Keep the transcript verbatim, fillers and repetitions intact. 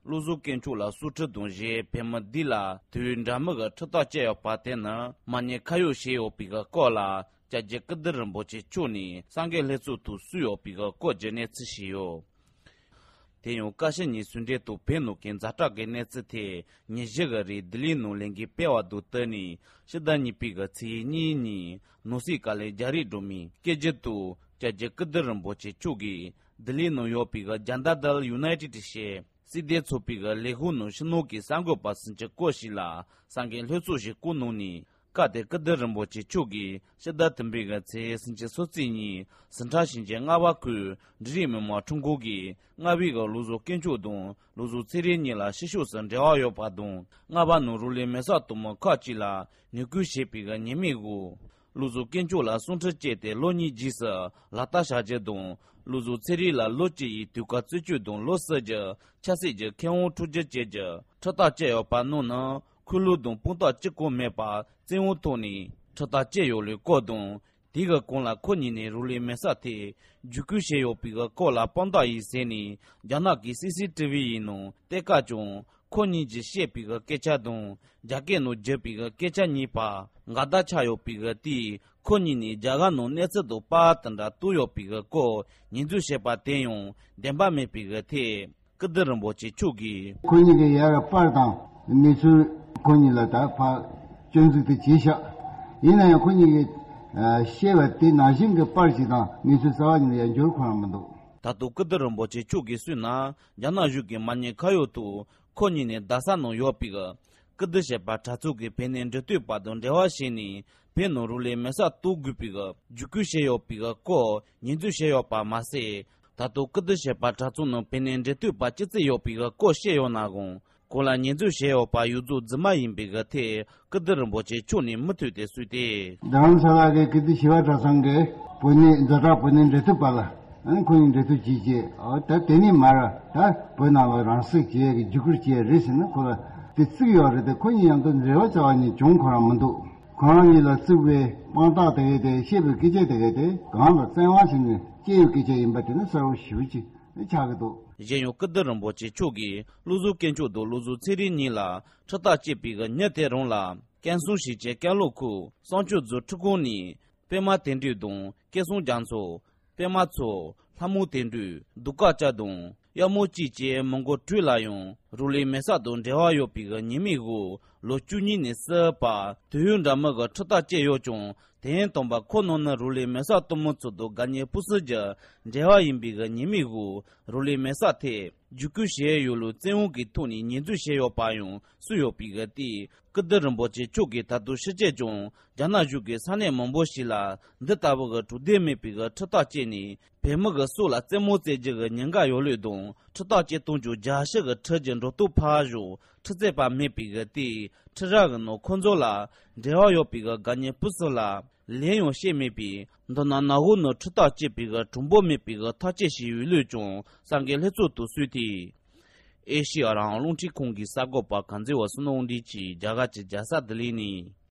བློ་བཟང་དཀོན་མཆོག་ལ་སྲོག་ཁྲིམས་དང་བཞེས་བོད་མི་འདི་ལ་དུས་ཡུན་འདྲ་མིན་གྱི་ཁྲིམས་ཐག་བཅད་ཡོད་པ་དེ་ནི་མ་ཉེས་ཁ་གཡོགས་བྱས་ཡོད་པའི་སྐོར་ལ། སྐྱབས་རྗེ་ཀིརྟི་རིན་པོ་ཆེ་མཆོག་ནས་སངས་རྒྱས་ལྷ་ཚོགས་ཐོག་གསུངས་ཡོད་པའི་སྐོར་གྱི་གནས་ཚུལ་ཞིག་ཡོད། དེ་ཡང་བཀའ་སྤྱི་གཉིས་ཟུང་འབྲེལ་དུ་བོད་ནང་གི་ཛ་དྲག་གི་གནས་ཚུལ་ཐད་ཉིན་བཞི་གི་རིང་ལྡི་ལིའི་ནང་ལས་འགུལ་སྤེལ་བ་དང་བསྟུན་ནས་ཕྱི་ཟླ་གཉིས་པའི་གི་ཚེས་གཉིས་ཉིན་ནང་སྲིད་བཀའ་བློན་རྒྱ་རི་སྒྲོལ་མའི་སྐད་སྒྱུར་དུ་སྐྱབས་རྗེ་ཀིརྟི་རིན་པོ་ཆེ་མཆོག་གིས་ལྡི་ལིའི་ནང་ཡོད་པའི་གི་Janata Dal United ཞེས་སྲིད་དོན་ཚོགས་པའི་གི་ལས་ཁུངས་ནང་ཕྱི་ནང་གི་གསར་འགོད་པ་སུམ་ཅུ་སྐོར་ཞིག་ལ་གསར་འགོད་ལྷན་ཚོགས་ཤིག་བསྐོང་གནང་ནས། སྐབས་དེར་ཀིརྟི་རིན་པོ་ཆེ་མཆོག་གིས་ཕྱི་ཟླ་དང་པོའི་གི་ཚེས་སུམ་ཅུ་སོ་གཅིག་ཉིན་ཟི་ཁྲོན་ཞིང་ཆེན་རྔ་བ་ཁུལ་འབྲིང་རིམ་མི་དམངས་ཁྲིམས་ཁང་གིས་རྔ་བའི་གི་བློ་བཟང་དཀོན་མཆོག་དང་བློ་བཟང་ཚེ་རིང་གཉིས་ལ་ཕྱི་ཕྱོགས་སུ་འབྲེལ་བ་ཡོད་པ་དང་། རྔ་བ་ནང་རང་ལུས་མེར་སྲེག་གཏོང་མི་ཁག་ཅིག་ལ་ངན་སྐུལ་བྱས་པའི་གི་ཉེས་མིང་འོག་བློ་བཟང་དཀོན་མཆོག་ལ་སྲོག་ཁྲིམས་བཅད་དེ་ལོ་གཉིས་རྗེས་སུ་ལག་བསྟར་བྱ་རྒྱུ་དང་། བློ་བཟང་ཚེ་རིང་ལ་ལོ་གཅིག་ཡི་དུས་བཀག་བཙོན་འཇུག་དང་ལོ་གསུམ་གྱི་ཆབ་སྲིད་ཀྱི་ཁེ་དབང་འཕྲོག་རྒྱུ་བཅས་ཀྱི་ཁྲིམས་ཐག་བཅད་ཡོད་པ་རྣམས་ནི། ཁུངས་ལུང་དང་དཔང་རྟགས་གཅིག་ཀྱང་མེད་པར་བཙན་དབང་ཐོག་ནས་ཁྲིམས་ཐག་བཅད་ཡོད་ལུགས་སྐོར་དང་། དེའི་གོང་ལ་ཁོ་གཉིས་ནས་རང་ལུས་མེར་སྲེག་ཐད་བརྒྱུད་སྐུལ་བྱས་ཡོད་པའི་སྐོར་ལ་དཔང་རྟགས་ཡིན་ཟེར་ནས་རྒྱ་ནག་གི་སི་སི་ཊི་ཝི་ཡི་ནང་བལྟས་སྐབས་ཀྱང་ཁོ་གཉིས་ཀྱིས་བཤད་པའི་སྐད་ཆ་དང་རྒྱ་སྐད་ནང་བརྗོད་པའི་སྐད་ཆ་གཉིས་བར་འགལ་ཟླ་ཆགས་ཡོད་པའི་དེས་ཁོ་གཉིས་ནས་རྒྱ་གར་ནང་གནས་ཚུལ་དང་པར་དེ་འདྲ་བཏོན་ཡོད་པའི་སྐོར་ཉེས་འཛུགས་བྱས་པ་དེ་ཡང་བདེན་པ་མེད་པའི་ཐད། ཀིརྟི་རིན་པོ་ཆེ་མཆོག་གིས། ཁོ་གཉིས་ཀྱི་ཡ་གི་པར་དང་གནས་ཚུལ་ཁོ་གཉིས་ལ་ད་ཕར་སྐྱོན་འཛུགས་དེ་བྱས་ཤག་ཡིན་ན་ཡང་ཁོ་གཉིས་ཀྱིས་ཨ་བཤད་པ་དེ་ནང་བཞིན་གྱི་པར་ཞིག་དང་གནས་ཚུལ་གསར་བ་གཉིས་ལ་ཡང་འགྱུར་ཁོ་རང་མི་འདུག་ད་དུང་ཀིརྟི་རིན་པོ་ཆེ་མཆོག་གིས་གསུངས་ན། རྒྱ་ནག་གཞུང་གིས་མ་ཉེས་ཁ་གཡོག་ཐོག་ཁོ་གཉིས་ནས་རྡ་ས་ནང་ཡོད་པའི་ཀིརྟི་ཞེས་པ་གྲྭ་ཚང་གི་བོད་ནས་འབྲེལ་མཐུད་པ་དང་འབྲེལ་བ་བྱས་ནས་བོད་ནང་རང་ལུས་མེར་སྲེག་གཏོང་དགོས་པའི་བརྒྱུད་སྐུལ་བྱས་ཡོད་པའི་སྐོར་ཉེས་འཛུགས་བྱས་ཡོད་པ་མ་ཟད། ད་དུང་ཀིརྟི་ཞེས་པ་གྲྭ་ཚང་ནང་བོད་ནས་འབྲེལ་མཐུད་པ་ཅི་ཙམ་ཡོད་པའི་སྐོར་བཤད་ཡོད་ནའང་། གོང་ལ་ཉེས་འཛུགས་བྱས་ཡོད་པ་ཡོངས་རྫོགས་རྫུན་མ་ཡིན་པའི་ཐད་ཀིརྟི་རིན་པོ་ཆེ་མཆོག་ནས་མུ་མཐུད་དེ་གསུངས་ཏེ། རྡ་རམ་ས་ལ་གི་ཀིརྟི་ཞི་བ་གྲྭ་ཚང་གི་བོད་ནས་ཛ་དྲག་བོད་ནས་འབྲེལ་མཐུད་པ་ལ་ཨ་ནི་ཁོ་གཉིས་འབྲེལ་མཐུད་བྱས་རྗེས་ཨ་ད་དེ་ནས་མར་ད་བོད་ནང་ལ་རང་སྲེག་བྱེད་ཡས་ཀྱི་བརྒྱུད་སྐུལ་བྱས་རེད་ཟེར་ན་ཁོ་ལ་དེ་བརྩིགས་ཡོད་རེད་དེ་ཁོ་གཉིས་མཉམ་དུ་འབྲེལ་བ་རྩ་བ་ནས་བྱུང་ཁོ་རང་མི་འདུག་ཁོ་རང་གཉིས་ལ་བརྩིགས་པའི་དཔང་རྟགས་དེ་གས་དེ་བཤད་པའི་སྐད་ཆ་དེ་གས་དེ་གང་ལ་བཙན་དབང་བྱས་ནས་སྐྱེས་ཡོད་སྐད་ཆ་ཡིན་པ་དེ་ནི་གསལ་པོ་ཞེ་པོ་ཅིག་ཆགས་ཀྱི་འདུག་གཞན་ཡང་ཀིརྟི་རིན་པོ་ཆེ་མཆོག་གིས་བློ་བཟང་དཀོན་མཆོག་དང་བློ་བཟང་ཚེ་རིང་གཉིས་ལ་ཁྲིམས་ཐག་བཅད་པའི་ཉིན་དེ་རང་ལ་ཀན་སུའུ་ཞིང་ཆེན་ཀན་ལྷོ་ཁུལ་བསང་ཆུ་རྫོང་ཁྲིམས་ཁང་ནས་པད་མ་དོན་གྲུབ་དང་སྐལ་བཟང་རྒྱ་མཚོ། པད་མ་མཚོ། ལྷ་མོ་དོན་གྲུབ། གདུགས་དཀར་སྐྱབས་དང་གཡང་མོ་སྐྱིད་བཅས་མི་མགོ་དྲུག་ལ་ཡང་རང་ལུས་མེར་སྲེག་དང་འབྲེལ་བ་ཡོད་པའི་ཉེས་མིང་འོག་ལོ་བཅུ་གཉིས་ནས་བསུ་བར་དུས་ཡུན་འདྲ་མིན་གྱི་ཁྲིམས་ཐག་བཅད་ཡོད་ཀྱང་། དེ་ཡང་དང་པ་ཁོ་རྣམས་ནི་རང་ལུས་མེར་སྲེག་གཏོང་མི་ཚོ་དང་དགའ་ཉེ་སྤུན་སྲིང་གི་འབྲེལ་བ་ཡིན་པའི་ཉེས་མིང་འོག་རང་ལུས་མེར་སྲེག་ཐད་བརྒྱུད་སྐུལ་བྱས་ཡོད་ལུགས་བཙན་དབང་གི་ཐོག་ནས་ཉེས་འཛུགས་བྱས་ཡོད་པ་ཡང་གསུངས་ཡོད་པའི་དེས། ཀིརྟི་རིན་པོ་ཆེ་མཆོག་གིས་ད་དུང་ཕྱི་རྒྱལ་ཀྱང་རྒྱ་ནག་གཞུང་གིས་ས་གནས་མང་པོ་ཞིག་ལ་འདི་ལྟ་བུ་གི་དྲང་བདེན་མེད་པའི་ཁྲིམས་ཐག་བཅད་ནས་བོད་མི་གི་སྲོག་ལ་རྩེད་མོ་རྩེ་རྒྱུ་གི་ཉེན་ཁ་ཡོད་ལུགས་དང་། ཁྲིམས་ཐག་བཅད་གཏོང་རྒྱུ་རྒྱལ་སྤྱི་གི་ཁྲིམས་ཀྱི་འགྲོ་སྟངས་ཕར་ཞོག་ཁྲིམས་རྩོད་པ་མེད་པའི་དེས་ཁྲིམས་ར་གི་ནང་ཁོང་ཚོ་ལ་འབྲེལ་བ་ཡོད་པའི་དགའ་ཉེ་སྤུན་སྲིང་ལ་ལན་ཡང་བཤད་མེད་པས། མདོར་ན་ནག་འོག་ནང་ཁྲིམས་ཐག་བཅད་པའི་གྲུང་པོ་མེད་པའི་ཐག་བཅད་བྱས་ཡོད་ལུགས་ཀྱང་གསར་འགོད་ལྷན་ཚོགས་དང་གསུངས་ཏེ། ཨེ་ཤེ་ཡ་རང་དབང་རླུང་འཕྲིན་ཁང་གི་གསར་འགོད་པ་གངས་འཛིན་བ་བསོད་ནམས་དབང་འདུས་ཀྱིས་རྒྱ་གར་གྱི་རྒྱལ་ས་ལྡི་ལི་ནས།